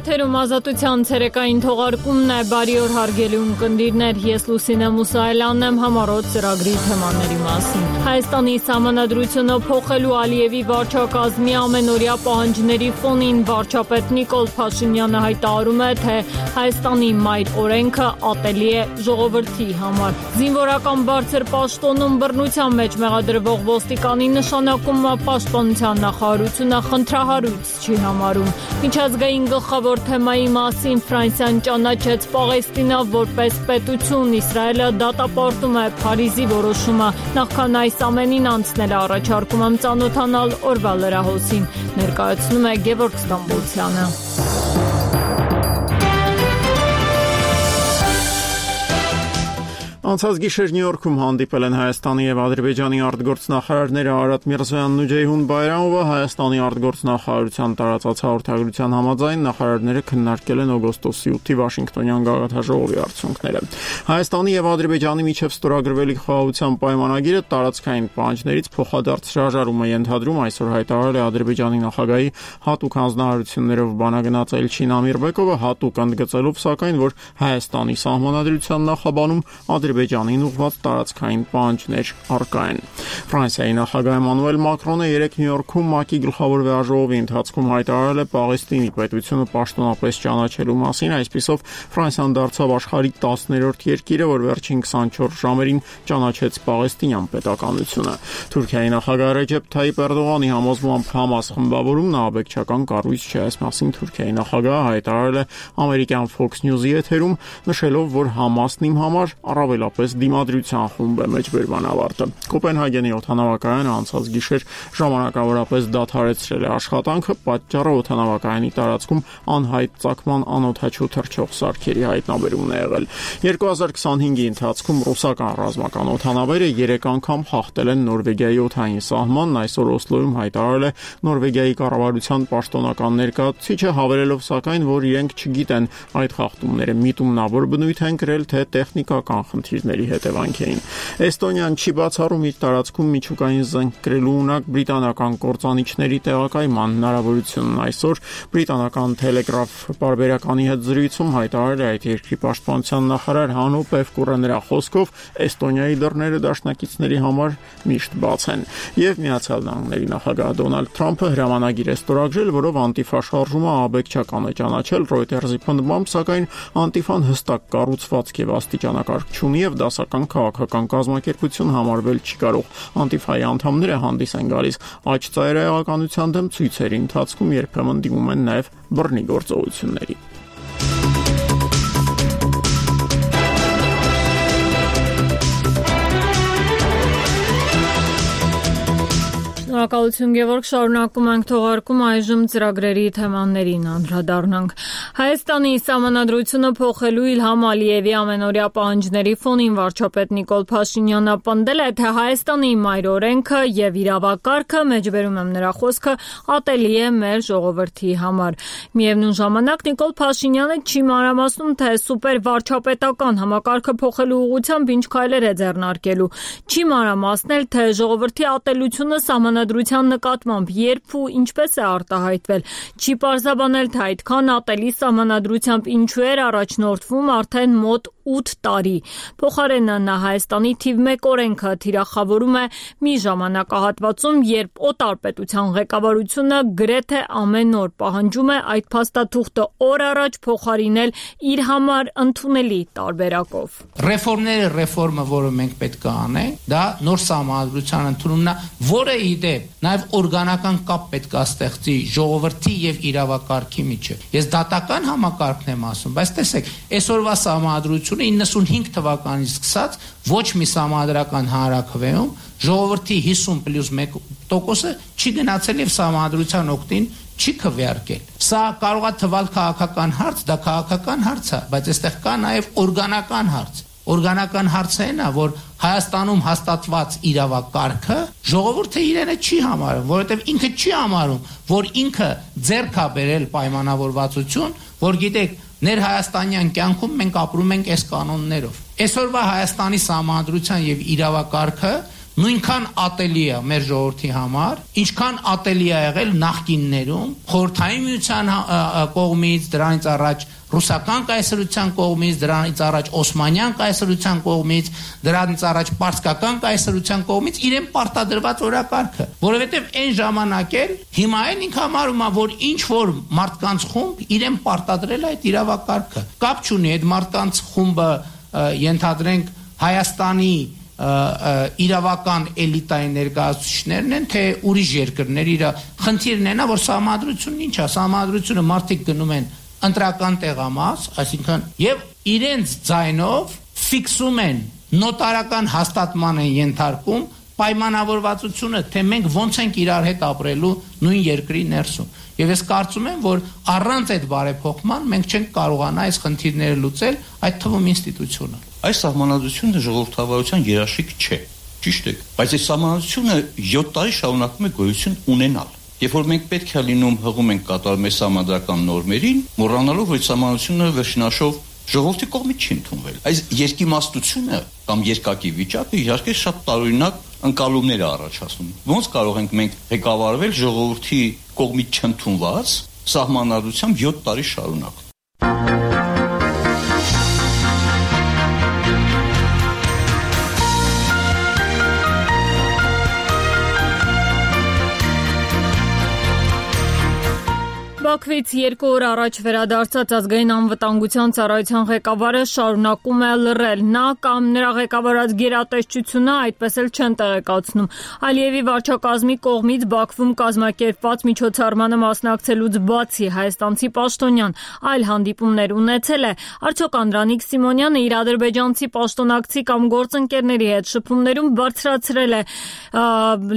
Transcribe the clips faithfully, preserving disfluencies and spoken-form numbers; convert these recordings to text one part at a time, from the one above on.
Եթերում ազատության ցերեկային թողարկումն է, բարի օր հարգելի ունկնդիրներ, ես Լուսինե Մուսայելյանն եմ, համառոտ ծրագրի թեմաների մասին։ Հայաստանի սահմանադրությունը փոխելու Ալիևի վարչակազմի ամենօրյա պահանջների ֆոնին վարչապետ Նիկոլ Փաշինյանը հայտարարում է, թե Հայաստանի մայր օրենքը ատելի է ժողովրդի համար։ Զինվորական բարձր պաշտոնում բռնության մեջ մեղադրվող ոստիկանի նշանակումը պաշտպանության նախարարությունը խնդրահարույց չի համարում։ Միջազգային գլխավոր թեմայի մասին Ֆրանսիան ճանաչեց Պաղեստինը որպես պետություն, Իսրայելը դատապարտում է Փարիզի որոշումը։ Նախքան այս ամենին անցնել է առաջարկում եմ ծանոթանալ օրվա լրահոսին, ներկայացնում է Գևորգ Ստամբոլցյանը։ Անցած գիշեր Նյու Յորքում հանդիպել են Հայաստանի եւ Ադրբեջանի արտգործնախարարները Արադ Միրզոյանն ու Ջեյհուն Բայրամովը։ Հայաստանի արտգործնախարարության տարածած հաղորդագրության համաձայն նախարարները քննարկել են օգոստոսի ութի Վաշինգտոնյան գաղափարաժողովի արդյունքները։ Հայաստանի եւ Ադրբեջանի միջև ստորագրվելի խաղաղության պայմանագիրը տարածքային պահանջներից փոխադարձ հրաժարում է ենթադրում, այսօր հայտարարել է Ադրբեջանի նախագահի հատուկ հանձնարարություններով բանագնաց Էլչին Ամիրբեկովը, հատուկ ընդգծելով սակայն, որ Հայաստանի սահմանադրության նախաբանում Ադրբեջանին ուղղված տարածքային պահանջներ առկա են։ Ֆրանսիայի նախագահ Էմանուել Մակրոնը երեկ Նյու Յորքում ՄԱԿ-ի գլխավոր վեաժողովի ընթացքում հայտարարել է Պաղեստինի պետությունը պաշտոնապես ճանաչելու մասին, այսպիսով Ֆրանսիան դարձավ աշխարհի տասներորդ երկիրը, որ վերջին քսանչորս ժամերին ճանաչեց պաղեստինյան պետականությունը։ Թուրքիայի նախագահ Ռեջեփ Թայիպ Էրդողանի համոզմամբ Համաս խմբավորումն ահաբեկչական կառույց չէ, այս մասին Թուրքիայի նախագահը հայտարարել է ամերիկյան Fox News-ի եթերում, նշելով, որ Համասն իմ համար առավելապես դիմադրության խումբ է մեջբերման ավարտը։ Կոպենհագենի օդանավակայանը անցած գիշեր ժամանակավորապես դադարեցրել է աշխատանքը, պատճառը օդանավակայանի տարածքում անհայտ ծագման անօդաչու թռչող սարքերի հայտնաբերումն է եղել։ երկու հազար քսանհինգի ընթացքում ռուսական ռազմական օդանավերը երեք անգամ խախտել են Նորվեգիայի օդային սահմանն, այսօր Օսլոյում հայտարարել է Նորվեգիայի կառավարության պաշտոնական ներկայացուցիչը, հավելելով սակայն, որ իրենք չգիտեն այդ խախտումները միտումնավոր բնույթ են կրել, թե տեխնիկական խնդիրների հետևանք էին։ Էստոնիան չի բացառում իր տարածքում միջուկային զենք կրելու ունակ բրիտանական կործանիչների տեղակայման հնարավորությունն։ Այսօր բրիտանական Telegraph պարբերականի հետ զրույցում հայտարարել է այդ երկրի պաշտպանության նախարար Հանո Պևկուրը, նրա խոսքով Էստոնիայի դռները դաշնակիցների համար միշտ բաց են։ Եվ Միացյալ Նահանգների նախագահ Դոնալդ Թրամփը հրամանագիր է ստորագրել, որով Անտիֆա շարժումը ահաբեկչական է ճանաչել Reuters-ի պնդմամբ, սակայն Անտիֆան հստակ կառուցվածք եւ աստիճանակարգ չունի եւ դասական քաղաքական կազմակերպություն համարվել չի կարող։ Անտիֆայի անդամները հանդիս են գալիս աճ ծայրահեղականության դեմ ցույցերի ընթացքում, երբեմն դիմում են նաեւ բռնի գործողությունների։ Շնորհակալություն Գևորգ, շարունակում ենք թողարկում, այժմ ծրագրերի թեմաներին անդրադառնանք։ Հայաստանի սահմանադրությունը փոխելու Իլհամ Ալիևի ամենօրյա պահանջների ֆոնին վարչապետ Նիկոլ Փաշինյանը պնդել է, թե Հայաստանի մայր օրենքը եւ իրավակարգը, մեջբերում եմ նրա խոսքը, ատելի է մեր ժողովրդի համար։ Միևնույն ժամանակ Նիկոլ Փաշինյանը չի մանրամասնում, թե սուպեր վարչապետական համակարգը փոխելու ուղղությամբ ինչ քայլեր է ձեռնարկելու։ Չի մանրամասնել, թե ժողովրդի ատելությունը սահմանադրության նկատմամբ երբ ու ինչպես է արտահայտվել։ Չի պարզաբանել, թե այդքան ատելի սահմանադրությամբ ինչու էր առաջնորդվում արդեն մոտ ութ տարի։ Փոխարենը նա Հայաստանի թիվ մեկ օրենքը թիրախավորում է մի ժամանակահատվածում, երբ օտար պետության ղեկավարությունը գրեթե ամեն օր պահանջում է այդ փաստաթուղթը օր առաջ փոխարինել իր համար ընդունելի տարբերակով։ Ռեֆորմները ռեֆորմը, որը մենք պետք է անենք, դա նոր սահմանադրության ընդունումն է, որը ի դեպ նաև օրգանական կապ պետք է ստեղծի ժողովրդի եւ իրավակարգի միջեւ։ Ես դատական համակարգն եմ ասում, բայց տեսեք, այսօրվա սահմանադրությունը իննսունհինգ թվականից սկսած ոչ մի սահմանադրական հանրաքվեում ժողովրդի հիսուն պլյուս մեկ տոկոսը չի գնացել եւ սահմանադրության օգտին չի քվեարկել։ Սա կարող է թվալ քաղաքական հարց, դա քաղաքական հարց է, բայց այստեղ կա նաեւ օրգանական հարց։ Օրգանական հարցը այն է, որ Հայաստանում հաստատված իրավակարգը ժողովուրդը իրենը չի համարում, որովհետև ինքը չի համարում, որ ինքը ձեռք է բերել պայմանավորվածություն, որ գիտեք, ներհայաստանյան կյանքում մենք ապրում ենք այս կանոններով։ Այսօրվա Հայաստանի սահմանադրության եւ իրավակարգը նույնքան ատելի է մեր ժողովրդի համար, ինչքան ատելի է եղել նախկիններում, խորհրդային միության կողմից, դրանից առաջ ռուսական կայսրության կողմից, դրանից առաջ օսմանյան կայսրության կողմից, դրանից առաջ պարսկական կայսրության կողմից իրեն պարտադրված օրակարգը, որովհետև այն ժամանակ էլ հիմա էլ ինքը համարում է, որ ինչ որ մարդկանց խումբ իրեն պարտադրել այդ իրավակարգը։ Կապ չունի այդ մարդկանց խումբը ենթադրենք Հայաստանի իրավական էլիտայի ներկայացուցիչներն են, թե ուրիշ երկրներ, իր խնդիրն է նա, որ սահմանադրությունն ինչ է, սահմանադրությունը մարդիկ գնում են ընտրական տեղամաս, այսինքն եւ իրենց ձայնով ֆիքսում են նոտարական հաստատման են ենթարկում պայմանավորվածությունը, թե մենք ոնց ենք իրար հետ ապրելու նույն երկրի ներսում։ Եվ ես կարծում եմ, որ առանց այդ բարեփոխման մենք չենք կարողանա այս խնդիրները լուծել, այդ թվում ինստիտուցիոնալ։ Այս սահմանադրությունը ժողովրդավարության երաշխիք չէ, ճիշտ է, բայց այս սահմանադրությունը յոթ տարի շարունակում է գոյություն ունենալ։ Երբ որ մենք պետք է լինում հղում ենք կատարում այս սահմանադրական նորմերին, մոռանալով, որ սահմանադրությունը վերջնաշով ժողովրդի կողմից չի ընդունվել։ Այս երկիմաստությունը կամ երկակի վիճակը իհարկե շատ տարօրինակ ընկալումներ է առաջացնում։ Ոնց կարող ենք մենք ղեկավարվել ժողովրդի կողմից չընդունված սահմանադրությամբ յոթ տարի շարունակ։ Բաքվից երկու օր առաջ վերադարձած ազգային անվտանգության ծառայության ղեկավարը շարունակում է լռել։ Նա կամ նրա ղեկավարած գերատեսչությունը այդպես էլ չեն տեղեկացնում։ Ալիևի վարչակազմի կողմից Բաքվում կազմակերպված միջոցառմանը մասնակցելուց բացի հայաստանցի պաշտոնյան այլ հանդիպումներ ունեցել է։ Արդյոք Անդրանիկ Սիմոնյանը իր ադրբեջանցի պաշտոնակցի կամ գործընկերների հետ շփումներում բարձրացրել է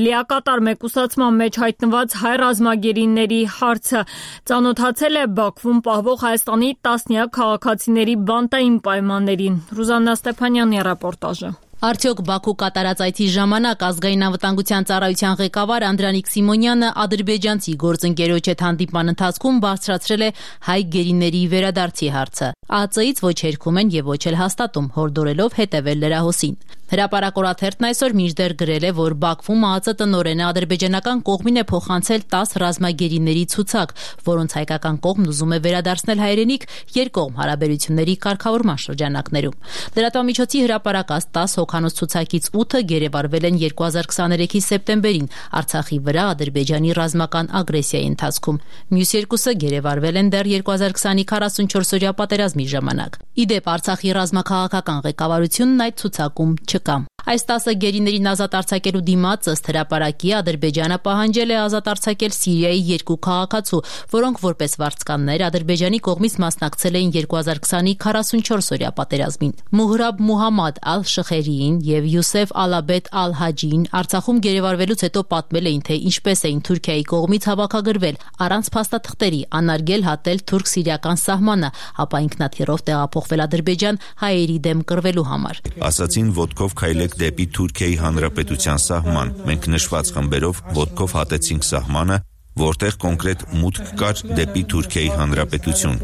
լիակատար մեկուսացման մեջ հայտնված հայ ռազմագերիների հարցը։ Ծանոթացել է Բաքվում պահվող Հայաստանի տասնյակ քաղաքացիների բանտային պայմաններին։ Ռուզաննա Ստեփանյանի ռեպորտաժը։ Արդյոք Բաքու կատարած այցի ժամանակ ազգային անվտանգության ծառայության ղեկավար Անդրանիկ Սիմոնյանը ադրբեջանցի գործընկերոջ հետ հանդիպման ընթացքում բարձրացրել է հայ գերիների վերադարձի հարցը։ ԱԱԾ-ից ոչ հերքում են եւ ոչ էլ հաստատում, հորդորելով հետևել լրահոսին։ Հրապարակորաթերթն այսօր մինչդեռ գրել է, որ Բաքվում ԱԱԾ տնօրենը ադրբեջանական կողմին է փոխանցել տասը ռազմագերիների ցուցակ, որոնց հայկական կողմն ուզում է վերադարձնել հայրենիք երկկողմ հարաբերությունների կարգավորման շրջանակներում։ Լրատվամիջոցի հրապարակած տասը հոգանոց ցուցակից ութը գերեվարվել են երկու հազար քսաներեքի սեպտեմբերին Արցախի վրա Ադրբեջանի ռազմական ագրեսիայի ընթացքում։ Մյուս երկուսը գերեվարվել են դեռ երկու հազար քսանի քառասունչորսօրյա պատերազմի ժամանակ։ Իդեպ Արցախի ռազմաքաղաքական ղեկավարությունն այդ ցուցակում չկա։ Այս տասը գերիներին ազատ արձակելու դիմաց ըստ հրապարակի Ադրբեջանը պահանջել է ազատ արձակել Սիրիայի երկու քաղաքացու, որոնք որպես վարձկաններ Ադրբեջանի կողմից մասնակցել էին երկու հազար քսանի քառասունչորսօրյա պատերազմին։ Մուհրաբ Մուհամմադ ալ-Շխերիին եւ Յուսեֆ Ալաբեդ ալ-Հաջին Արցախում գերեվարվելուց հետո պատմել էին, թե ինչպես էին Թուրքիայի կողմից հավաքագրվել, առանց փաստաթղթերի անարգել հատել թուրք-սիրիական սահմանը, ապա ինքնաթիռով տեղափոխվել Ադրբեջան հայերի դեմ կռվելու համար։ Ասացին ոտքով քայլեք դեպի Թուրքիայի Հանրապետության սահման։ Մենք նշված խմբերով ոտքով հատեցինք սահմանը, որտեղ կոնկրետ մուտք կար դեպի Թուրքիայի Հանրապետություն։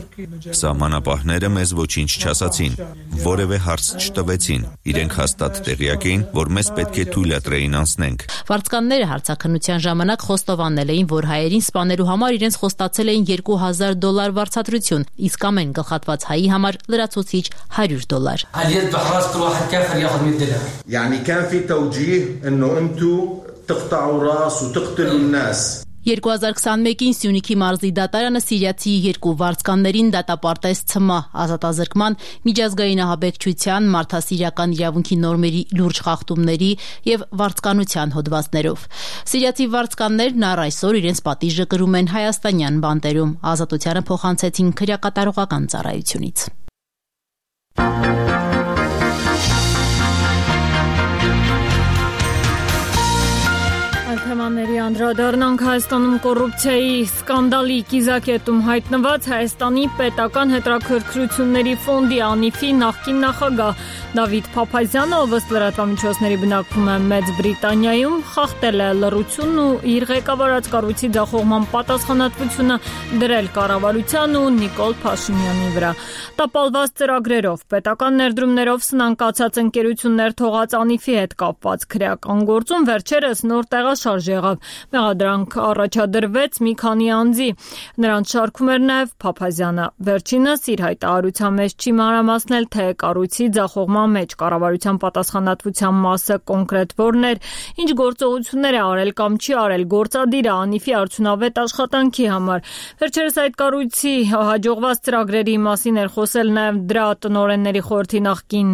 Սահմանապահները մեզ ոչինչ չասացին, որևէ հարց չտվեցին։ Իրենք հաստատ տեղյակ էին, որ մեզ պետք է թույլատրեին անցնենք։ Վարձկանները հարցաքննության ժամանակ խոստովանել էին, որ հայերին սպանելու համար իրենց խոստացել էին երկու հազար դոլար վարձատրություն, իսկ ամեն գլխատված հայի համար լրացուցիչ հարյուր դոլար։ يعني كان في توجيه انه انتم تقطعوا راس وتقتلوا الناس երկու հազար քսաներկին Սյունիքի մարզի դատարանը սիրիացի երկու վարձկաններին դատապարտեց ՑՄ ազատազրկման, միջազգային ահաբեկչության, մարդասիրական իրավունքի նորմերի լուրջ խախտումների եւ վարձկանության հոդվածներով։ Սիրիացի վարձկաններն առ այսօր իրենց պատիժը կրում են հայաստանյան բանտերում, ազատությանը փոխանցեցին քրեակատարողական ծառայությունից։ Թեմաների անդրադառնանք Հայաստանում կոռուպցիայի սկանդալի կիզակետում հայտնված Հայաստանի պետական հետաքրքրությունների ֆոնդի ԱՆԻՖ-ի նախկին նախագահ Դավիթ Փափազյանը, ով ըստ լրատվամիջոցների բնակվում է Մեծ Բրիտանիայում, խախտել է լռությունն ու իր ղեկավարած կառույցի ձախողման պատասխանատվությունը դրել կառավարության ու Նիկոլ Փաշինյանի վրա։ Տապալված ծրագրերով, պետական ներդրումներով սնանկացած ընկերություններ թողած ԱՆԻՖ-ի հետ կապված քրեական գործում վերջերս նոր տեղաշարժ եղավ։ Մեղադրանք առաջադրվեց մի քանի անձի։ Նրանց շարքում էր նաև Փափազյանը։ Վերջինս իր հայտարարության մեջ չի մանրամասնել, թե կառույցի ձախողման մեջ կառավարության պատասխանատվության մասը կոնկրետ որն էր, ինչ գործողություններ է արել կամ չի արել գործադիրը ԱՆԻՖ-ի արդյունավետ աշխատանքի համար։ Վերջերս այդ կառույցի հաջողված ծրագրերի մասին էր խոսել նաև դրա տնօրենների խորհրդի նախկին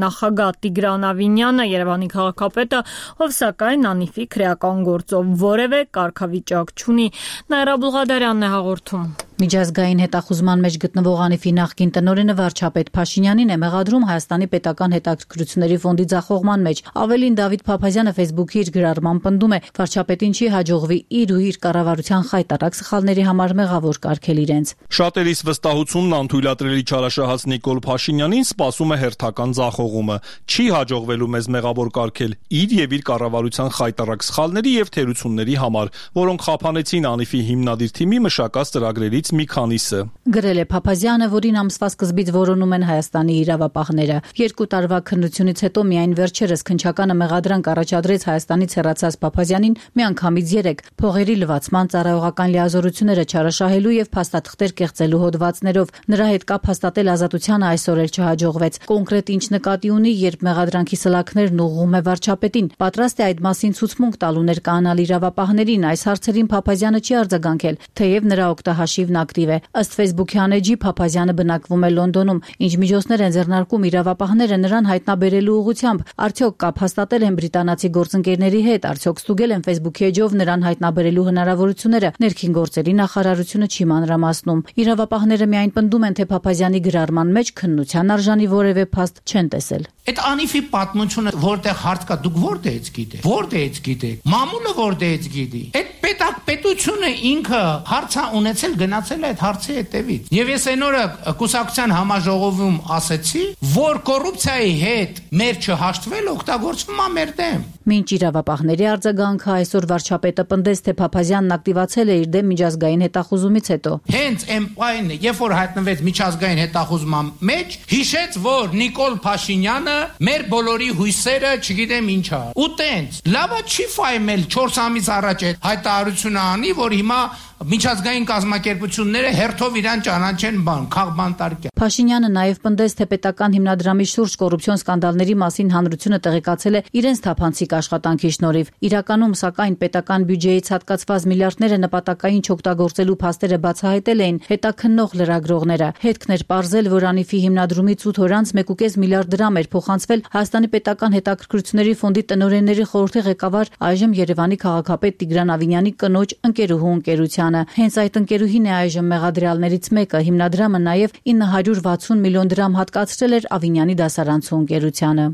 նախագահ Տիգրան Ավինյանը, Երևանի քաղաքապետը, ով սակայն ԱՆԻՖ-ի քրեական գործով որևէ կարգավիճակ չունի։ Նաիրա Բուլղադարյանն է հաղորդում։ Միջազգային հետախուզման մեջ գտնվող ԱՆԻՖ-ի նախկին տնօրենը վարչապետ Փաշինյանին է մեղադրում Հայաստանի պետական հետաքրքրությունների ֆոնդի ձախողման մեջ։ Ավելին, Դավիթ Փափազյանը Facebook-ի իր գրառման պնդում է, վարչապետին չի հաջողվի իր ու իր կառավարության խայտարակ սխալների համար մեղավոր կարգել իրենց։ Շատերիս վստահությունն անթույլատրելի չարաշահած Նիկոլ Փաշինյանին սպասում է հերթական ձախողումը։ Չի հաջողվելու մեզ մեղավոր կարգել իր եւ իր կառավարության խայտարակ սխալների եւ թերությունների համար, որոնք խափանեցին ԱՆԻՖ-ի հիմնադիր թիմի մշակած ծրագրերից մի քանիսը։ Գրել է Փափազյանը, որին ամսվա սկզբից որոնում են Հայաստանի իրավապահները։ Երկու տարվա քննությունից հետո միայն վերջերս քննչականը մեղադրանք առաջադրեց Հայաստանից հեռացած Փափազյանին միանգամից երեք փողերի լվացման, ծառայողական լիազորությունները չարաշահելու եւ փաստաթղթեր կեղծելու հոդվածներով։ Նրա հետ կապ հաստատել Ազատությանը այսօր էլ չհաջողվեց։ Կոնկրետ ինչ նկատի ունի, երբ մեղադրանքի սլաքներն ուղղում է վարչապետին, պատրաստ է այդ մասին ցուցմունք տալու ներկայանալ իրավապահներին։ Այս հարցերին Փափազյանը չի արձագանքել, թեև նրա օգտահաշիվն ակտիվ է։ Ըստ Facebook-ի անեջի Փափազյանը բնակվում է Լոնդոնում։ Ինչ միջոցներ են ձեռնարկում իրավապահները նրան հայտնաբերելու ուղղությամբ։ Արդյոք կապ հաստատել են բրիտանացի գործընկերների հետ, արդյոք ստուգել են Facebook-ի էջով նրան հայտնաբերելու հնարավորությունները։ Ներքին գործերի նախարարությունը չի մանրամասնում։ Իրավապահները միայն պնդում են, թե Փափազյանի գրառման մեջ քննության արժանի որևէ փաստ չեն տեսել։ Այդ ԱՆԻՖ-ի պատմությունը որտեղ հարց կա, դուք որտեղից գիտեք։ Որտեղից գիտեք։ Մամուլը որտեղից գիտի։ Այդ պետակ պետությունը ինքը հարցա ունեցել գնացել այդ հարցի հետևից։ Եվ ես այն օրը կուսակցության համաժողովում ասեցի, որ կոռուպցիայի հետ մեր չհաշտվել օգտագործվում է մեր դեմ։ Մինչ իրավապահների արձագանքը այսօր վարչապետը պնդեց, թե Փափազյանն ակտիվացել է իր դեմ միջազգային հետախուզումից հետո։ Հենց էմպայն, երբ որ հայտնվեց միջազգային հետախուզման մեջ, հիշեց, որ Նիկոլ Փաշինյանը մեր բոլորի հույսերը, չգիտեմ ինչա։ Ու տենց, լավա չի ֆայմել չորս ամիս առաջ այդ հայտարարությունը անի, որ հիմա միջազգային կազմակերպությունները հերթով իրան ճանաչեն բան, քաղբանտարկյա։ Փաշինյանը նաև պնդեց, թե պետական հիմնադրամի շուրջ կոռուպցիոն սկանդալների մասին հանրությունը տեղեկացել է իրենց թափանցիկ աշխատանքի շնորհիվ։ Իրականում, սակայն, պետական բյուջեից հատկացված միլիարդները նպատակային չօգտագործելու փաստերը բացահայտել էին հետաքննող լրագրողները։ Հետքն էր պարզել, որ ԱՆԻՖ-ի հիմնադրումից ութ օր անց մեկ կես միլիարդ դրամ էր փոխանցվել Հայաստանի պետական հետաքրքրությունների ֆոնդի տնօրենների խորհրդի ղեկավար, այժմ Երևանի քաղաքապետ Տիգրան Ավինյանի կնոջ ընկերուհու ընկերության։ Հենց այդ ընկերուհին է այժմ մեղադրյալներից մեկը։ Հիմնադրամը նաև ինը հարյուր վաթսուն միլիոն դրամ հատկացրել էր Ավինյանի դասարանցու ընկերությանը։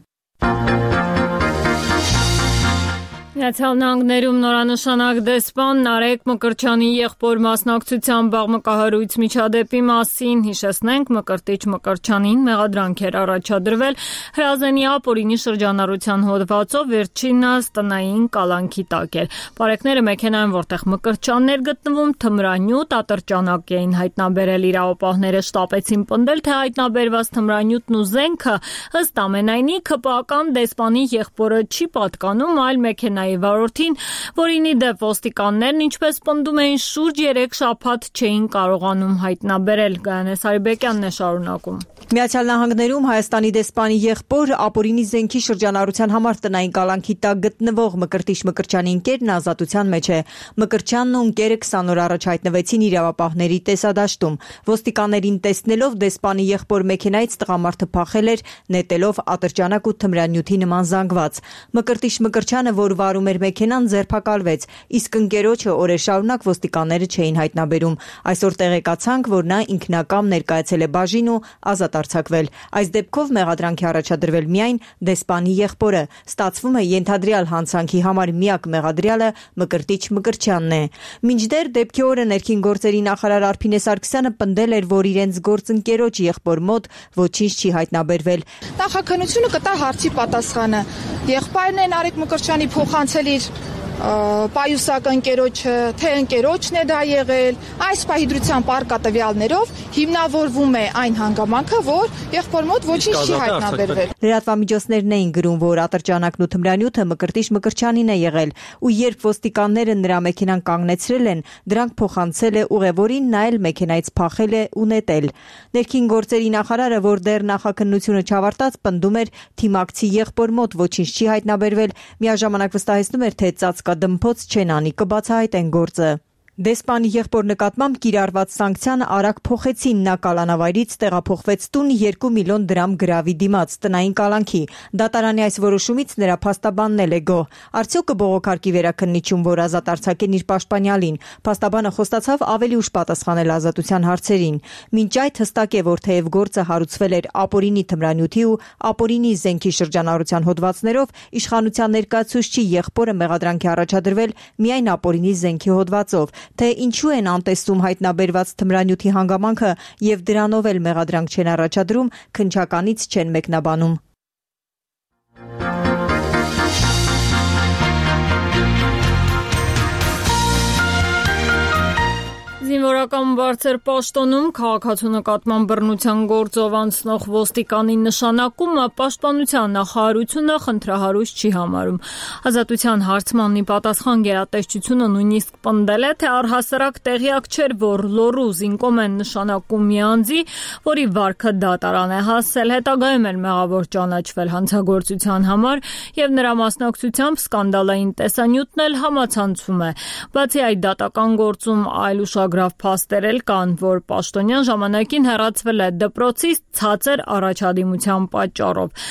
Միացյալ Նահանգներում նորանշանակ դեսպան Նարեկ Մկրտչյանի եղբոր մասնակցությամբ բաղմկահարույց միջադեպի մասին հիշեցնենք, Մկրտիչ Մկրտչյանին մեղադրանք էր առաջադրվել Հրազենի ապօրինի շրջանառության հոդվածով, վերջինս տնային կալանքի տակ էր։ Բարեկները մեքենայում, որտեղ Մկրտչյանն էր գտնվում, թմրանյութ ատրճանակ էին հայտնաբերել։ Իրավապահները շտապեցին պնդել, թե հայտնաբերված թմրանյութն ու զենքը ըստ ամենայնի ՔՊԱ-կան դեսպանի եղբորը չի պատկանում, այլ մեքենայի վարորդին, որին ի դեպ ոստիկաններն, ինչպես պնդում էին, շուրջ երեք շաբաթ չէին կարողանում հայտնաբերել։ Գայանե Սարիբեկյանն է շարունակում։ Միացյալ Նահանգներում Հայաստանի դեսպանի եղբոր ապօրինի զենքի շրջանառության համար տնային կալանքի տակ գտնվող Մկրտիչ Մկրտչյանի ընկերն ազատության մեջ է։ Մկրտչյանն ու ընկերը քսան օր առաջ հայտնվեցին իրավապահների տեսադաշտում։ Ոստիկաններին տեսնելով դեսպանի եղբոր մեքենայից տղամարդը փախել էր, նետելով ատրճանակ ու թմրանյութի նման զանգված։ Մկրտիչ Մկրտչյանը, որ վարում վարում էր մեքենան, ձերբակալվեց, իսկ ընկերոջը օրեր շարունակ ոստիկանները չէին հայտնաբերում։ Այսօր տեղեկացանք, որ նա ինքնակամ ներկայացել է բաժին ու ազատ արձակվել։ Այս դեպքով մեղադրանքի առաջադրվել միայն դեսպանի եղբորը։ Ստացվում է ենթադրյալ հանցանքի համար միակ մեղադրյալը Մկրտիչ Մկրտչյանն է։ Մինչդեռ դեպքի օրը ներքին գործերի նախարար Արփինե Սարգսյանը պնդել էր, որ իրենց գործընկերոջ եղբոր մոտ ոչինչ չի հայտնաբերվել։ Նախաքննությունը կտա հարցի պատասխանը։ Եղբայրն է Նարեկ Մկրտչյանի փոխանցել իր պայուսակ ընկերոջը, թե ընկերոջն է դա եղել, այս պահի արկատվյալներով հիմնավորվում է այն հանգամանքը, որ եղբոր մոտ ոչինչ չի հայտնաբերվել։ Լրատվամիջոցներն էին գրում, որ ատրճանակն ու թմրանյութը Մկրտիչ Մկրտչյանին է եղել, ու երբ ոստիկանները նրա մեքենան կանգնեցրել են, դրանք փոխանցել է ուղևորին, նա էլ մեքենայից փախել է ու նետել։ Ներքին գործերի նախարարը, որ դեռ նախաքննությունը չավարտած, պնդում էր թիմակցի եղբոր մոտ ոչինչ չի հայտնաբերվել, միաժամանակ վստահեցնում էր, թե ծածկադմփոց չեն անի, կբացահայտեն գործը։ Դեսպանի եղբոր նկատմամբ կիրառված սանկցիան արագ փոխեցին, նա կալանավայրից տեղափոխվեց տուն երկու միլիոն դրամ գրավի դիմաց տնային կալանքի։ Դատարանի այս որոշումից նրա փաստաբանն էլ է գոհ։ Արդյոք կբողոքարկի վերաքննիչում, որ ազատ արձակեն իր պաշտպանյալին։ Փաստաբանը խոստացավ ավելի ուշ պատասխանել ազատության հարցերին։ Մինչ այդ հստակ է, որ թեև գործը հարուցվել էր ապօրինի թմրանյութի ու ապօրինի զենքի շրջանառության հոդվածներով, իշխանության ներկայացուցչի եղբորը մեղադրանքի առաջադրվել միայն ապօրինի զենքի հոդվածով։ Թե ինչու են անտեսում հայտնաբերված թմրանյութի հանգամանքը եւ դրանով էլ մեղադրանք չեն առաջադրում, քննչականից չեն մեկնաբանում։ Զինվորական բարձր պաշտոնում քաղաքացու նկատմամբ բռնության գործով անցնող ոստիկանի նշանակումը պաշտպանության նախարարությունը խնդրահարույց չի համարում։ Ազատության հարցմանի պատասխան գերատեսչությունը նույնիսկ պնդել է, թե առհասարակ տեղյակ չէր, որ լոռու զինկոմ են նշանակում մի անձի, որի վարքը դատարան է հասել, հետագայում էլ մեղավոր ճանաչվել հանցագործության համար եւ նրա մասնակցությամբ սկանդալային տեսանյութն էլ համացանցում է։ Բացի այդ, դատական գործում այլ ուշագրավ փաստեր էլ կան, որ պաշտոնյան ժամանակին հեռացվել է դպրոցից ցածր առաջադիմության պատճառով։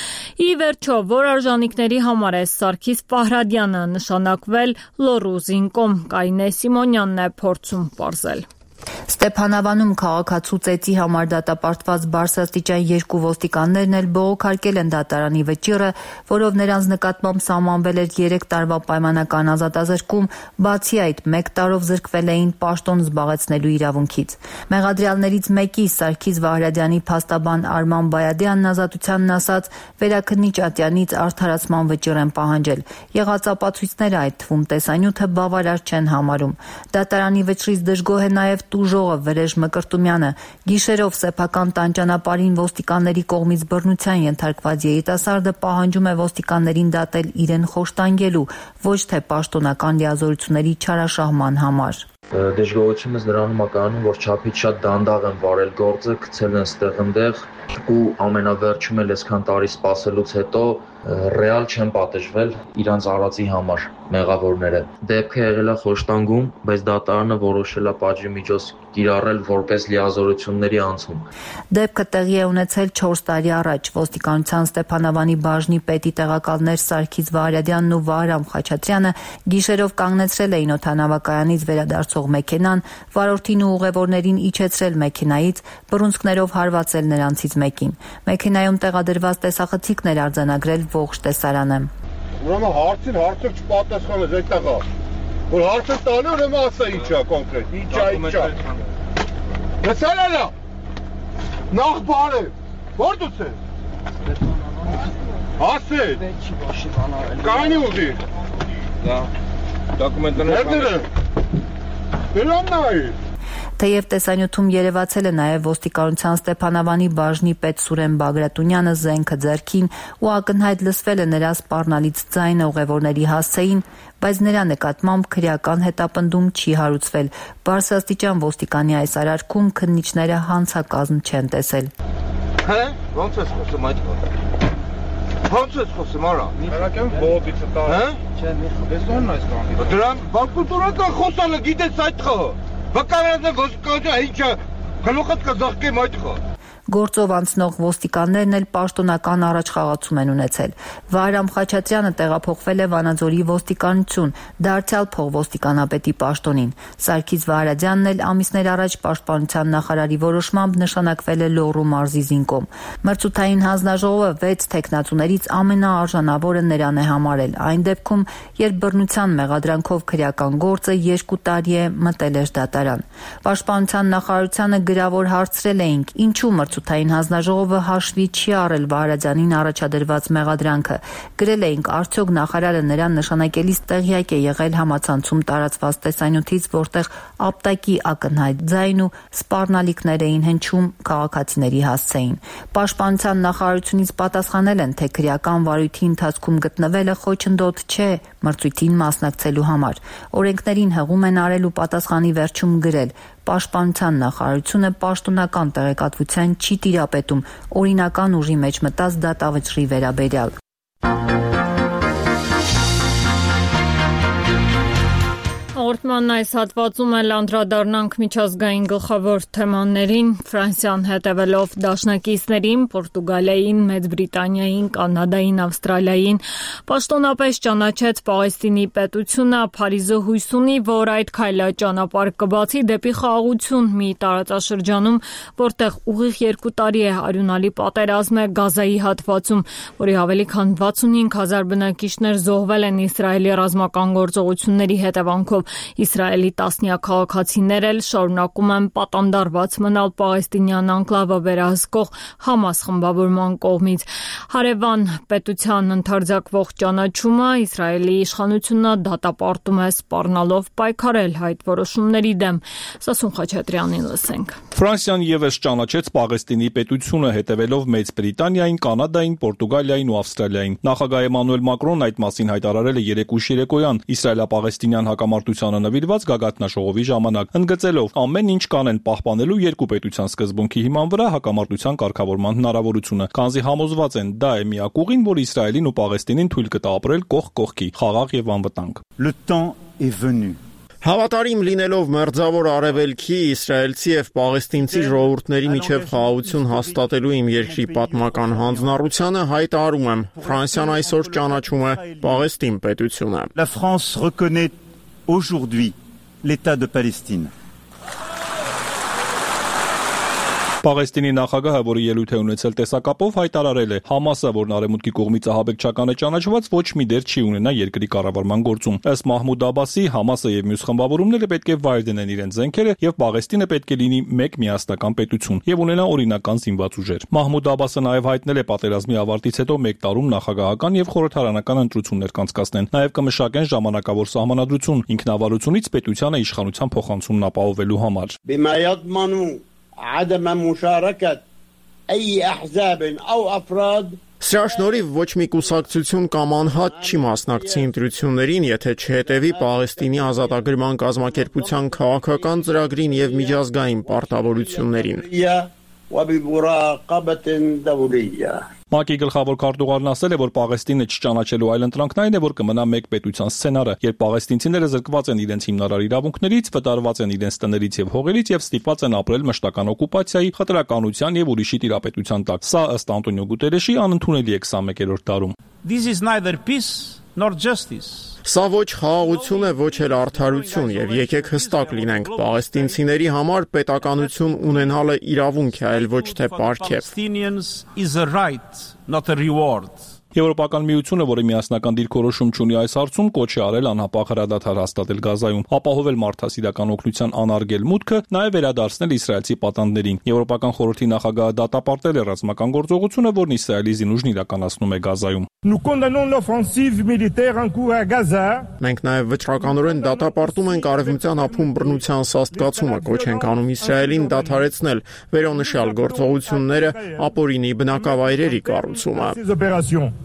Ի վերջո, որ արժանինքների համար է Սարգիս Ֆահրադյանը նշանակվել լոռու զինկոմ, Կարինե Սիմոնյանն է փորձում պարզել։ Ստեփանավանում քաղաքացու ծեծի համար դատապարտված բարձրաստիճան երկու ոստիկաններն էլ բողոքարկել են դատարանի վճիռը, որով նրանց նկատմամբ սահմանվել էր երեք տարվա պայմանական ազատազրկում, բացի այդ մեկ տարով զրկվել էին պաշտոն զբաղեցնելու իրավունքից։ Մեղադրյալներից մեկի Սարգիս Վահրադյանի փաստաբան Արման Բայադյանն ազատությանն ասաց, վերաքննիչ Ատյանից արդարացման վճիռ են պահանջել։ Եղած ապացույցները, այդ թվում տեսանյութը, բավարար չեն համարում։ Դատարանի վճռից դժգոհ է նաև տուժողը Վրեժ Մկրտումյանը։ Գիշերով սեփական տան ճանապարհին ոստիկանների կողմից բռնության ենթարկված երիտասարդը պահանջում է ոստիկաններին դատել իրեն խոշտանգելու, ոչ թե պաշտոնական լիազորությունների չարաշահման համար։ Դժգոհությունս նրանում է կայանում, որ չափից շատ դանդաղ են վարել գործը, գցել են ստեղ-ընդեղ ու ամենավերջում էլ այսքան տարի սպասելուց հետո ռեալ չեն պատժվել իրանց արածի համար մեղավորները։ Դեպքը եղել է խոշտանգում, բայց դատարանը որոշել է պատժի միջոց կիրառել որպես լիազորությունների անցում։ Դեպքը տեղի է ունեցել չորս տարի առաջ։ Ոստիկանության Ստեփանավանի բաժնի պետի տեղակալներ Սարգիս Վահրադյանն ու Վահրամ Խաչատրյանը գիշերով կանգնեցրել էին օդանավակայանից վերադարձող մեքենան, վարորդին ու ուղևորներին իջեցրել մեքենայից, բռունցքներով հարվածել նրանցից մեկին։ Մեքենայում տեղադրված տեսախցիկներ արձանագրել ողջ տեսարանը։ Ուրեմն հարցին հարցը չպատասխանես այդտեղա։ Որ հարցը տալու ուրեմն ասա ինչա կոնկրետ, ինչա ինչա։ Լսել ալա։ Նախ բարը։ Որ դուց ես։ Ասել։ Կանի ուղի։ Դա դոկումենտները։ Դրանն է։ Թեև տեսանյութում երևացել է նաև ոստիկանության Ստեփանավանի բաժնի պետ Սուրեն Բագրատունյանը զենքը ձեռքին ու ակնհայտ լսվել է նրա սպառնալից ձայնը ուղևորների հասցեին, բայց նրա նկատմամբ քրեական հետապնդում չի հարուցվել։ Բարձրաստիճան ոստիկանի այս արարքում քննիչները հանցակազմ չեն տեսել։ Հե՞, ո՞նց ես խոսում այդ խոսքը։ Ո՞նց ես խոսում արա։ Մեղակեմ բողոքիցը տա։ Հե՞։ Չէ, մի խոսում այս կան։ Դրան բանկուլտուրական խոսալը գիտես այդ խո։ Վկարանը ոսկոջա ինչա գլուխդ կզղկեմ այդ խո։ Գործով անցնող ոստիկաններն էլ պաշտոնական առաջխաղացում են ունեցել։ Վահրամ Խաչատրյանը տեղափոխվել է Վանաձորի ոստիկանություն, դարձյալ փոխոստիկանապետի պաշտոնին։ Սարգիս Վահրադյանն էլ ամիսներ առաջ պաշտպանության նախարարի որոշմամբ նշանակվել է Լոռու մարզի զինկոմ։ Մրցութային հանձնաժողովը վեց թեկնածուներից ամենաարժանավորը նրան է համարել, այն դեպքում, երբ բռնության մեղադրանքով քրեական գործը երկու տարի է մտել էր դատարան։ Պաշտպանության նախարարությանը գրավոր հարցրել էինք, ինչու մրցութային հանձնաժողովը հաշվի չի առել Վահրադյանին առաջադրված մեղադրանքը։ Գրել էինք, արդյոք նախարարը նրան նշանակելիս տեղյակ է եղել համացանցում տարածված տեսանյութից, որտեղ ապտակի ակնհայտ ձայն ու սպառնալիքներ էին հնչում քաղաքացիների հասցեին։ Պաշտպանության նախարարությունից պատասխանել են, թե քրեական վարույթի ընթացքում գտնվելը խոչընդոտ չէ մրցույթին մասնակցելու համար։ Օրենքներին հղում են արել ու պատասխանի վերջում գրել. Պաշտպանության նախարարությունը պաշտոնական տեղեկատվության չի տիրապետում օրինական ուժի մեջ մտած դատավճռի վերաբերյալ։ Հաղորդման այս հատվածում էլ անդրադառնանք միջազգային գլխավոր թեմաներին, Ֆրանսիան հետևելով դաշնակիցներին, Պորտուգալիային, Մեծ Բրիտանիային, Կանադային, Ավստրալիային, պաշտոնապես ճանաչեց Պաղեստինի պետությունը, Փարիզը հույս ունի, որ այդ քայլը ճանապարհ կբացի դեպի խաղաղություն մի տարածաշրջանում, որտեղ ուղիղ երկու տարի է արյունալի պատերազմ է Գազայի հատվածում, որի ավելի քան վաթսունհինգ հազար բնակիչներ զոհվել են Իսրայելի ռազմական գործողությունների հետևանքով։ Իսրայելի տասնյակ քաղաքացիներ էլ շարունակում են պատանդարված մնալ պաղեստինյան անկլավը վերահսկող Համաս խմբավորման կողմից։ Հարևան պետության ընդարձակվող ճանաչումը Իսրայելի իշխանությունը դատապարտում է սպառնալով պայքարել այդ որոշումների դեմ։ Սասուն Խաչատրյանին լսենք։ Ֆրանսիան ևս ճանաչեց Պաղեստինի պետությունը հետևելով Մեծ Բրիտանիային, Կանադային, Պորտուգալիային ու Ավստրալիային։ Նախագահ Էմանուել Մակրոնն այդ մասին հայտարարել է երեկույթ երեկոյան իսրայելա-պաղեստինյան հակամարտությանը նվիրված գագաթնաժողովի ժամանակ, ընդգծելով ամեն ինչ կանեն պահպանելու երկու պետության սկզբունքի հիման վրա հակամարտության կարգավորման հնարավորությունը, քանզի համոզված են դա է միակ ուղին, որ Իսրայելին ու Պաղեստինին թույլ կտա ապրել կողք կողքի, խաղաղ եւ անվտանգ։ Le temps est venu. Հավատարիմ լինելով մերձավոր արևելքի, իսրայելցի եւ պաղեստինցի ժողովուրդների միջև խաղաղություն հաստատելու իմ երկրի պատմական հանձնառությանը հայտարարում եմ, Ֆրանսիան այսօր ճանաչում է Պաղեստին պետությունը։ La France reconnaît aujourd'hui l'État de Palestine. Պաղեստինի նախագահը, որի ելույթ է ունեցել տեսակապով, հայտարարել է. Համասը, որն արևմուտքի կողմից ահաբեկչական է ճանաչված, ոչ մի դեր չի ունենա երկրի կառավարման գործում։ Ըստ Մահմուդ Աբասի, Համասը եւ մյուս խմբավորումները պետք է վայր դնեն իրենց զենքերը եւ Պաղեստինը պետք է լինի մեկ միասնական պետություն եւ ունենա օրինական զինված ուժեր։ Մահմուդ Աբասը նաեւ հայտնել է պատերազմի ավարտից հետո մեկ տարում նախագահական եւ խորհրդարանական ընտրություններ կանցկացնեն։ Նաեւ կմշակեն ժամանակավոր սահմանադրություն ինքնավարությունից պետությանը իշխանության փոխանցումն ապահովելու համար։ عدم مشاركة أي أحزاب أو أفراد Սրա շնորհիվ ոչ մի կուսակցություն կամ անհատ չի մասնակցի ընտրություններին, եթե չհետևի Պաղեստինի ազատագրման կազմակերպության քաղաքական ծրագրին եւ միջազգային պարտավորություններին։ ՄԱԿ-ի գլխավոր քարտուղարն ասել է, որ Պաղեստինը չճանաչելու այլ ընտրանքն այն է, որ կմնա մեկ պետության սցենարը, երբ պաղեստինցիները զրկված են իրենց հիմնարար իրավունքներից, վտարված են իրենց տներից եւ հողերից եւ ստիպված են ապրել մշտական օկուպացիայի, խտրականության եւ ուրիշի տիրապետության տակ։ Սա ըստ Անտոնիո Գուտերեշի անընդունելի է քսանմեկերորդ դարում։ This is neither peace nor justice. Սա ոչ խաղաղություն է, ոչ էլ արդարություն եւ եկեք հստակ լինենք, պաղեստինցիների համար պետականություն ունենալը իրավունք է, այլ ոչ թե պարգև։ Եվրոպական միությունը, որը միասնական դիրքորոշում չունի այս հարցում, կոչ է արել անհապաղ հրադադար հաստատել Գազայում, ապահովել մարդասիրական օգնության անարգել մուտքը, նաև վերադարձնել իսրայելցի պատանդներին։ Եվրոպական խորհրդի նախագահը դատապարտել է ռազմական գործողությունը, որն Իսրայելի զինուժն իրականացնում է Գազայում։ Մենք նաև վճռականորեն դատապարտում ենք արևմտյան ափում բռնության սաստկացումը, կոչ ենք անում Իսրայելին դադարեցնել վերոնշյալ գործողությունները, ապօրինի բնակավայրերի կառուցումը։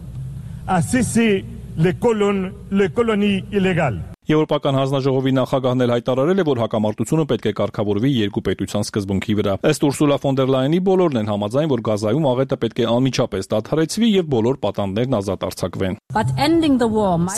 à cesser les colonnes, les colonies illégales. Եվրոպական հանձնաժողովի նախագահն էլ հայտարարել է, որ հակամարտությունը պետք է կարգավորվի երկու պետության սկզբունքի վրա։ Ըստ Ուրսուլա ֆոն դեր Լայենի բոլորն են համաձայն, որ Գազայում աղետը պետք է անմիջապես դադարեցվի եւ բոլոր պատանդներն ազատ արձակվեն։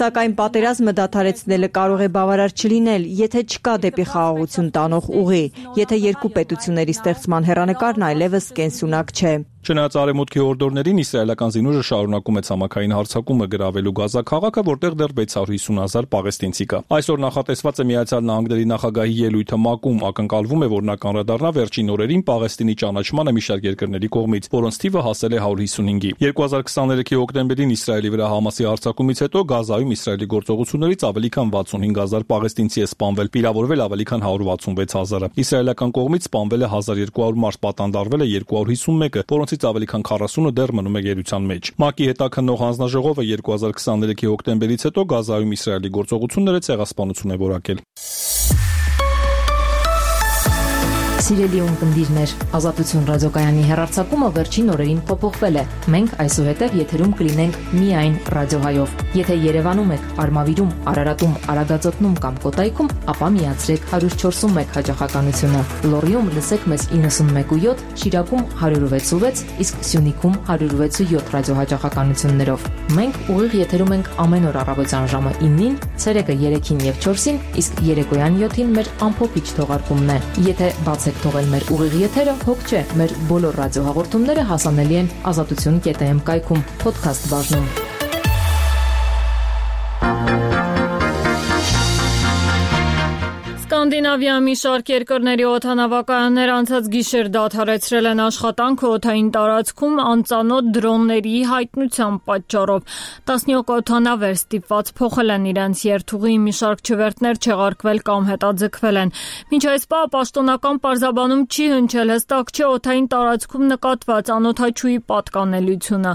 Սակայն պատերազմը դադարեցնելը կարող է բավարար չլինել, եթե չկա դեպի խաղաղություն տանող ուղի, եթե երկու պետությունների ստեղծման հեռանկարն այլևս կենսունակ չէ։ Չնայած արևմուտքի հորդորներին իսրայելական զինուժը շարունակում է ցամաքային հարձակումը գրավելու Գազա քաղաքը, որտեղ դեռ վեց հարյուր հիսուն հազար պաղեստինցի կա։ Այսօր նախատեսված է Միացյալ Նահանգների նախագահի ելույթը ՄԱԿ-ում, ակնկալվում է, որ նա կանրադառնա վերջին օրերին Պաղեստինի ճանաչմանը մի շարք երկրների կողմից, որոնց թիվը հասել է հարյուր հիսունհինգի։ երկու հազար քսաներեքի հոկտեմբերին Իսրայելի վրա Համասի հարձակումից հետո Գազայում Իսրայելի գործողություններից ավելի քան վաթսունհինգ հազար պաղեստինցի է սպանվել, վիրավորվել ավելի քան հարյուր վաթսունվեց հազարը։ Իսրայելական կողմից սպանվել է հազար երկու հարյուր մարդ, պատանդարվել է երկու հարյուր հիսուն մեկը, որոնցից ավելի քան քառասունը դեռ մնում է գերության մեջ։ ՄԱԿ-ի հետաքննող հանձնաժողովը երկու հազար քսաներեքի հոկտեմբերից հետո Գազայում Իսրայելի գործողությունները ցեղասպանություն է որակել։ Սիրելի ունկնդիրներ, Ազատություն ռադիոկայանի հեռարձակումը վերջին օրերին փոփոխվել է։ Մենք այսուհետև եթերում կլինենք միայն ռադիոհայով։ Եթե Երևանում եք, Արմավիրում, Արարատում, Արագածոտնում կամ Կոտայքում, ապա միացրեք հարյուր չորսուն մեկ հաճախականությունը։ Լոռիում լսեք մեզ իննսունմեկ ու յոթ, Շիրակում հարյուր վեց ու վեց, իսկ Սյունիքում հարյուր վեց ու յոթ ռադիոհաճախականություններով։ Մենք ուղիղ եթերում ենք ամեն օր առավոտյան ժամը իննին, ցերեկը երեքին եւ չորսին, իսկ երեկոյան յոթին մեր ամփոփիչ թողարկումն է։ Եթե բացեք թողել մեր ուղիղ եթերը, հոգ չէ, մեր բոլոր ռադիոհաղորդումները հասանելի են ազատություն կետ էմ կայքում, փոդքասթ բաժնում։ Սկանդինավիա մի շարք երկրների օդանավակայաններ անցած գիշեր դադարեցրել են աշխատանքը օդային տարածքում անծանոթ դրոնների հայտնության պատճառով։ տասնյոթ օդանավեր ստիպված փոխել են իրենց երթուղի, մի շարք չվերթներ չեղարկվել կամ հետաձգվել են։ Մինչ այս պահ պաշտոնական պարզաբանում չի հնչել հստակ չէ օդային տարածքում նկատված անօդաչուի պատկանելիությունը։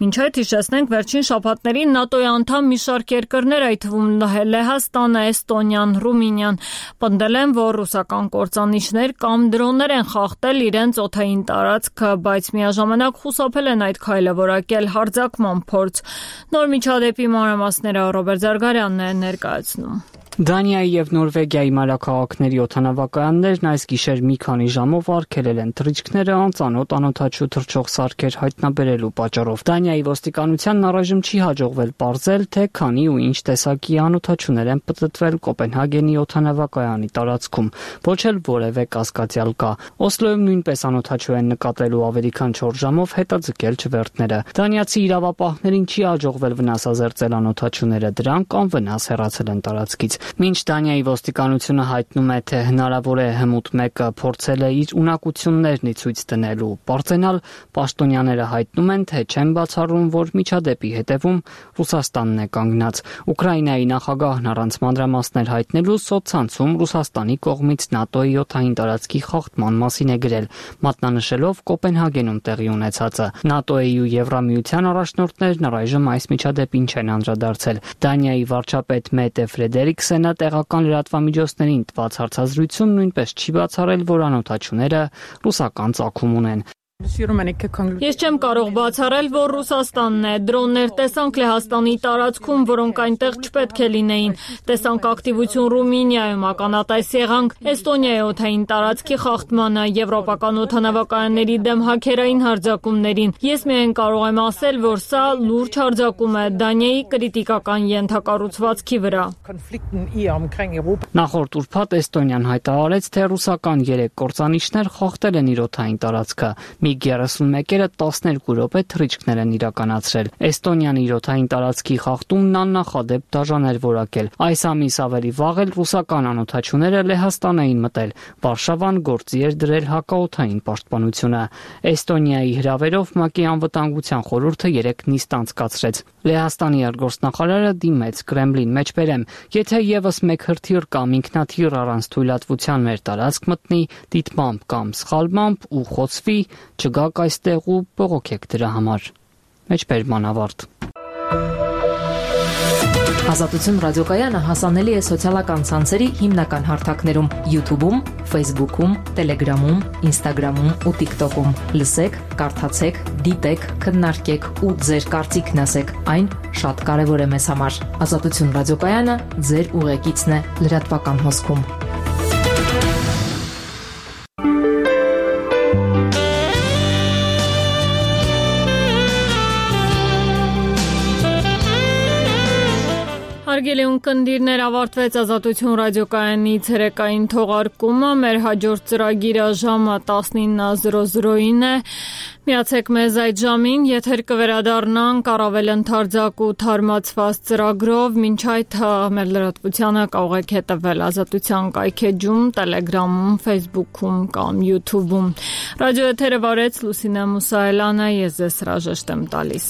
Մինչ այդ հիշեցնենք վերջին շաբաթներին ՆԱՏՕ-ի անդամ մի շարք երկրներ, այդ թվում Լեհաստանը, Էստոնիան, Ռումինիան պնդել են, որ ռուսական կործանիչներ կամ դրոններ են խախտել իրենց օդային տարածքը, բայց միաժամանակ խուսափել են այդ քայլը որակել հարձակման փորձ։ Նոր միջադեպի մանրամասները Ռոբերտ Զարգարյանն է ներկայացնում։ Դանիայի եւ Նորվեգիայի մայրաքաղաքների օդանավակայաններն այս գիշեր մի քանի ժամով արգելել են թռիչքները անծանոթ անօդաչու թռչող սարքեր հայտնաբերելու պատճառով։ Դանիայի ոստիկանությանն առայժմ չի հաջողվել պարզել, թե քանի ու ինչ տեսակի անօդաչուներ են պտտվել Կոպենհագենի օդանավակայանի տարածքում, ոչ էլ որևէ կասկածյալ կա։ Օսլոյում նույնպես անօդաչու են նկատելու ավելի քան չորս ժամով հետաձգել չվերթները։ Դանիացի իրավապահներին չի հաջողվել վնասազերծել անօդաչուները, դրանք անվնաս հեռացել են տարածքից։ Մինչ Դանիայի ոստիկանությունը հայտնում է, թե հնարավոր է հմուտ մեկը փորձել է իր ունակություններն ի ցույց դնելու պարծենալ, պաշտոնյաները հայտնում են, թե չեն բացառում, որ միջադեպի հետևում Ռուսաստանն է կանգնած։ Ուկրաինայի նախագահն առանց մանրամասներ հայտնելու սոցցանցում Ռուսաստանի կողմից ՆԱՏՕ-ի օդային տարածքի խախտման մասին է գրել, մատնանշելով Կոպենհագենում տեղի ունեցածը։ ՆԱՏՕ-ի ու Եվրամիության առաջնորդներն առայժմ այս միջադեպին չեն անդրադարձել։ Դանիայի վարչապետ Մետե Ֆրեդերիկսենը տեղական լրատվամիջոցներին տված հարցազրույցում նույնպես չի բացառել, որ անօդաչուները ռուսական ծագում ունեն։ Ես չեմ կարող բացառել, որ Ռուսաստանն է։ Դրոններ տեսանք Լեհաստանի տարածքում, որոնք այնտեղ չպետք է լինեին։ Տեսանք ակտիվություն Ռումինիայում, ականատես եղանք Էստոնիայի օդային տարածքի խախտմանը, եվրոպական օդանավակայանների դեմ հաքերային հարձակումներին։ Ես միայն կարող եմ ասել, որ սա լուրջ հարձակում է Դանիայի կրիտիկական ենթակառուցվածքի վրա։ Նախորդ ուրբաթ Էստոնիան հայտարարեց, թե ռուսական երեք կործանիչներ խախտել են իր օդային տարածքը։ միգ երեսունմեկերը տասներկու րոպե թռիչքներ են իրականացրել։ Էստոնիան իր օդային տարածքի խախտումն աննախադեպ դաժան էր որակել։ Այս ամիս ավելի վաղ էլ ռուսական անօդաչուները Լեհաստան էին մտել։ Վարշավան գործի էր դրել հակաօդային պաշտպանությունը։ Էստոնիայի հրավերով ՄԱԿ-ի անվտանգության խորհուրդը երեք նիստ անցկացրեց։ Լեհաստանի արտգործնախարարը դիմեց Կրեմլին մեջբերեմ, եթե եւս մեկ հրթիռ կամ ինքնաթիռ առանց թույլատվության մեր տարածք մտնի, դիտմամբ կամ սխալմամբ ու խոցվի, չգաք այստեղ ու բողոքեք դրա համար։ Մեջբերման ավարտ։ Ազատություն ռադիոկայանը հասանելի է սոցիալական ցանցերի հիմնական հարթակներում՝ YouTube-ում, Facebook-ում, Telegram-ում, Instagram-ում ու TikTok-ում։ Լսեք, կարդացեք, դիտեք, քննարկեք ու ձեր կարծիքն ասեք։ Այն շատ կարևոր է մեզ համար։ Ազատություն ռադիոկայանը ձեր ուղեկիցն է լրատվական հոսքում։ Հարգելի ունկնդիրներ, ավարտվեց Ազատություն ռադիոկայանի ցերեկային թողարկումը։ Մեր հաջորդ ծրագիրը ժամը տասնինը զրո զրոին է։ Միացեք մեզ այդ ժամին, եթեր կվերադառնանք առավել ընդարձակ ու թարմացված ծրագրով։ Մինչ այդ մեր լրատվությանը կարող եք հետևել Ազատության կայքեջում, Telegram-ում, Facebook-ում կամ YouTube-ում։ Ռադիոեթերը վարեց Լուսինե Մուսայելյանը, ես ձեզ հրաժեշտ եմ տալիս։